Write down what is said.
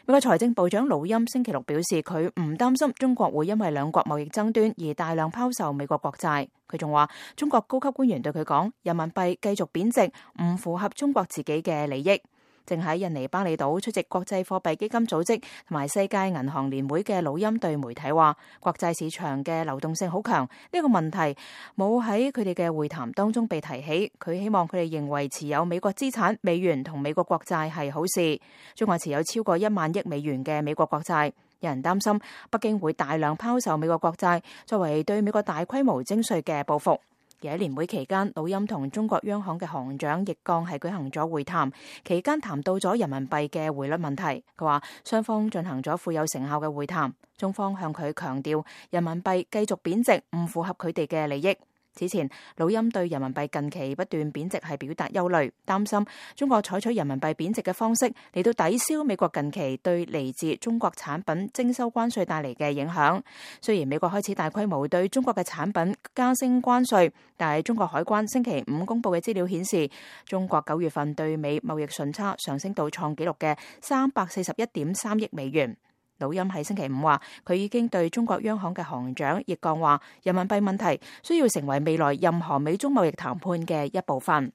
美國財政部長魯欽星期六表示，佢唔擔心中國會因為兩國貿易爭端而大量拋售美國國債。佢仲話，中國高級官員對佢講，人民幣繼續貶值唔符合中國自己嘅利益。正喺印尼巴厘島出席國際貨幣基金組織同埋世界銀行聯會嘅魯欽對媒體話，國債市場嘅流動性好強，呢個問題冇喺佢哋嘅會談當中被提起。佢希望佢哋認為持有美國資產、美元同美國國債係好事。中國持有超過1萬億美元嘅美國國債，有人擔心北京會大量拋售美國國債，作為對美國大規模徵稅嘅報復。而喺年會期間，魯欽同中國央行嘅行長易綱係舉行咗會談，期間談到咗人民幣嘅匯率問題。佢話雙方進行咗富有成效嘅會談，中方向佢強調人民幣繼續貶值唔符合佢哋嘅利益。此前，魯欽對人民幣近期不斷貶值係表達憂慮，擔心中國採取人民幣貶值嘅方式嚟到抵消美國近期對嚟自中國產品徵收關稅帶嚟嘅影響。雖然美國開始大規模對中國嘅產品加徵關稅，但係中國海關星期五公布嘅資料顯示，中國9月份對美貿易順差上升到創紀錄嘅341.3億美元。魯欽喺星期五話，佢已經對中國央行嘅行長易綱話，人民幣問題需要成為未來任何美中貿易談判嘅一部分。